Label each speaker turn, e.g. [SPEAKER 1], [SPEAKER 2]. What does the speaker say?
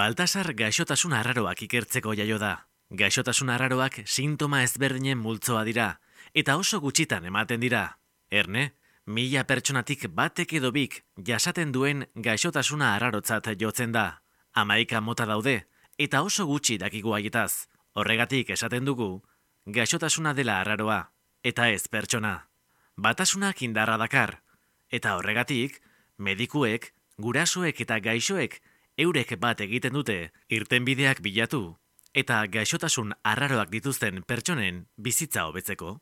[SPEAKER 1] Baltasar gaixotasun arraroak ikertzeko jaio da. Gaixotasun arraroak sintoma ezberdinen multzoa dira, eta oso gutxitan ematen dira. Erne, 1000 pertsonatik batek edo bik jasaten duen gaixotasuna arrarotzat jotzen da. 11 mota daude, eta oso gutxi dakigu haietaz. Horregatik esaten dugu, gaixotasuna dela arraroa, eta ez pertsona. Batasunak indarra dakar, eta horregatik, medikuek, gurasoek eta gaixoek eurek bat egiten dute irtenbideak bilatu eta gaixotasun arraroak dituzten pertsonen bizitza hobetzeko.